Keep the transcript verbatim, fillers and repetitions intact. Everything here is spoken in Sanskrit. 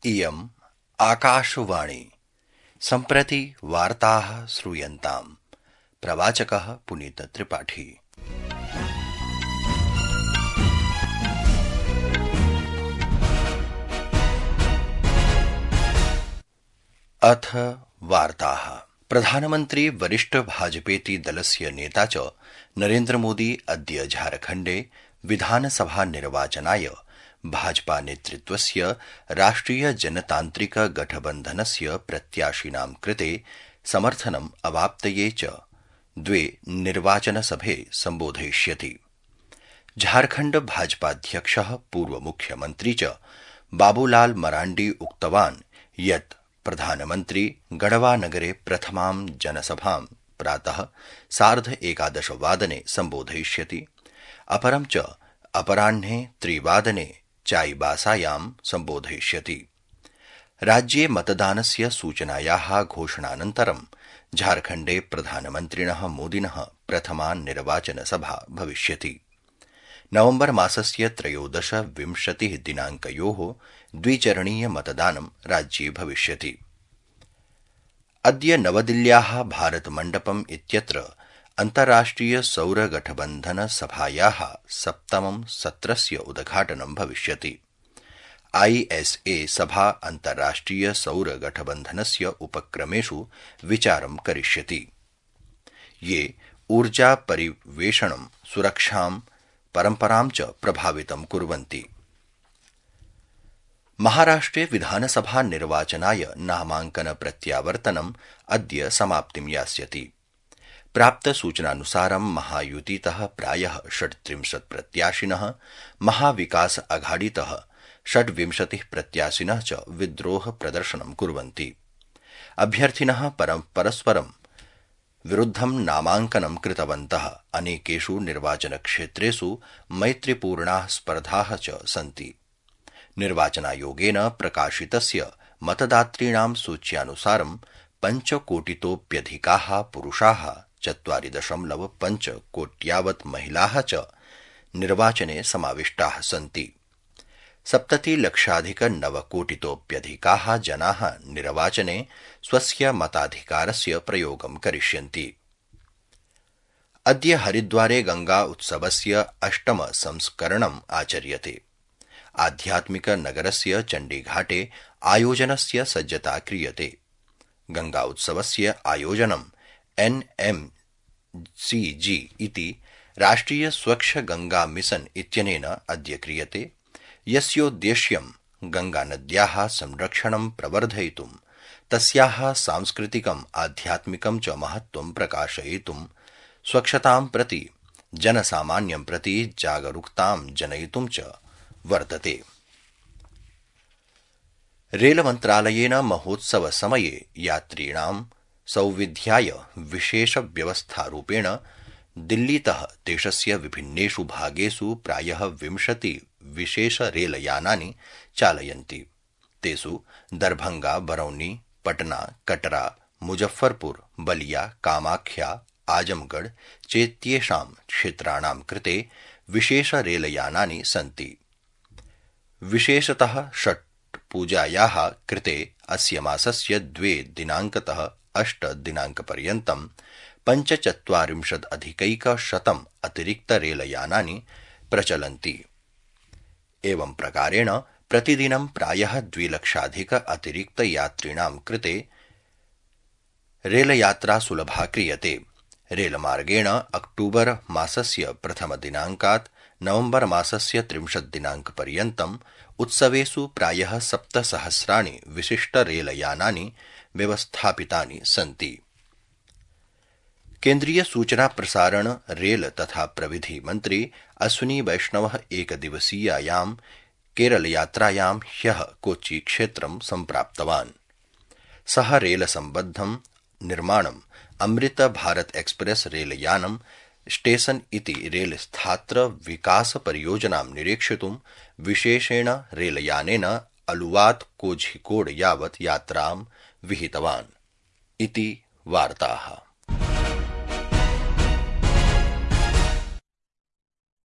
इयम् आकाशवाणी सम्प्रति वार्ताः श्रूयन्ताम्। प्रवाचकः पुनीत त्रिपाठी। अथ वार्ताः। प्रधानमन्त्री वरिष्ठ भाजपेति दलस्य नेता च नरेन्द्रमोदी अद्य झारखण्डे विधानसभा निर्वाचनाय भाजपा नेतृत्वस्य राष्ट्रिय जनतान्त्रिक गठबन्धनस्य प्रत्याशिनां कृते समर्थनम् अवाप्तये च द्वे निर्वाचनसभे सम्बोधयिष्यति। झारखण्ड भाजपाध्यक्षः पूर्वमुख्यमन्त्री च बाबूलाल मराण्डी उक्तवान् यत् प्रधानमन्त्री गढ़वानगरे प्रथमां जनसभां प्रातः सार्ध एकादश वादने सम्बोधयिष्यति। अपरं च अपराह्ने त्रिवादने चाईबासायां सम्बोधयिष्यति। राज्ये मतदानस्य सूचनायाः घोषणानन्तरं झारखण्डे प्रधानमन्त्रिणः मोदिनः प्रथमा निर्वाचनसभा भविष्यति। नवम्बर मासस्य त्रयोदश विंशतिः दिनाङ्कयोः द्विचरणीय मतदानं राज्ये भविष्यति। अद्य नवदिल्ल्याः भारतमण्डपम् इत्यत्र अन्ताराष्ट्रिय सौर गठबन्धन सभायाः सप्तमं सत्रस्य उद्घाटनं भविष्यति। आईएसए सभा अन्ताराष्ट्रिय सौर गठबन्धनस्य उपक्रमेषु विचारं करिष्यति, ये ऊर्जा परिवेषणं, सुरक्षां, परम्परां च प्रभावितं कुर्वन्ति। महाराष्ट्रे विधानसभा निर्वाचनाय नामाङ्कन प्रत्यावर्तनम् अद्य समाप्तिं यास्यति। प्राप्त सूचनानुसारं महायुतितः प्रायः षट्त्रिंशत् प्रत्याशिनः, महाविकास अघाड़ीतः षड्विंशतिः प्रत्याशिनः च विद्रोह प्रदर्शनं कुर्वन्ति। अभ्यर्थिनः परस्परं विरुद्धं नामाङ्कनं कृतवन्तः। अनेकेषु निर्वाचनक्षेत्रेषु मैत्रीपूर्णाः स्पर्धाः च सन्ति। निर्वाचनायोगेन प्रकाशितस्य मतदातॄणां सूच्यानुसारं पञ्चकोटितोऽप्यधिकाः पुरुषाः, चत्वारि दशमलव पञ्च कोट्यावत् महिलाः च निर्वाचने समाविष्टाः सन्ति। सप्ततिलक्षाधिक नवकोटितोऽप्यधिकाः जनाः निर्वाचने स्वस्य मताधिकारस्य प्रयोगं करिष्यन्ति। अद्य हरिद्वारे गंगा उत्सवस्य अष्टम संस्करणम् आचर्यते। आध्यात्मिक नगरस्य चण्डीघाटे आयोजनस्य सज्जता क्रियते। गंगा उत्सवस्य आयोजनं एन एम सी जी इति राष्ट्रिय स्वच्छ गंगा मिशन इत्यनेन अद्य क्रियते, यस्योद्देश्यं गंगानद्याः संरक्षणं प्रवर्धयितुं, तस्याः सांस्कृतिकम्, आध्यात्मिकं च महत्त्वं प्रकाशयितुं, स्वच्छतां प्रति जनसामान्यं प्रति जागरूकतां जनयितुं च वर्तते। रेलमन्त्रालयेन महोत्सवसमये यात्रिणां सौविध्याय विशेषव्यवस्थारूपेण दिल्लीतः देशस्य विभिन्नेषु भागेषु प्रायः विंशति विशेषरेलयानानि चालयन्ति। तेषु दरभंगा, बरौनी, पटना, कटरा, मुजफ्फरपुर, बलिया, कामाख्या, आजमगढ़ चेत्येषां क्षेत्राणां कृते विशेषरेलयानानि सन्ति। विशेषतः षट् पूजायाः कृते अस्य मासस्य द्वे दिनाङ्कतः अष्ट दिनाङ्कपर्यन्तं पञ्चचत्वारिंशदधिकैकशतम् अतिरिक्तरेलयानानि प्रचलन्ति। एवं प्रकारेण प्रतिदिनं प्रायः द्विलक्षाधिक अतिरिक्तयात्रिणां कृते रेलयात्रा सुलभा क्रियते। रेलमार्गेण अक्टूबर मासस्य प्रथमदिनाङ्कात् नवम्बर मासस्य त्रिंशत् दिनाङ्कपर्यन्तम् उत्सवेषु प्रायः सप्तसहस्राणि विशिष्टरेलयानानि व्यवस्थापितानि सन्ति। केन्द्रीय सूचना प्रसारण, रेल तथा प्रविधि मन्त्री अश्विनी वैष्णवः एकदिवसीयायां केरलयात्रायां ह्यः कोच्चि क्षेत्रं सम्प्राप्तवान्। सः रेलसम्बद्धं निर्माणम् अमृत भारत एक्सप्रेस रेलयानं स्टेशन इति रेलस्थात्र विकास परियोजनां निरीक्षितुं विशेषेण रेलयानेन अलुवात् कोझिकोड यावत् यात्रां विहितवान् इति वार्ताः।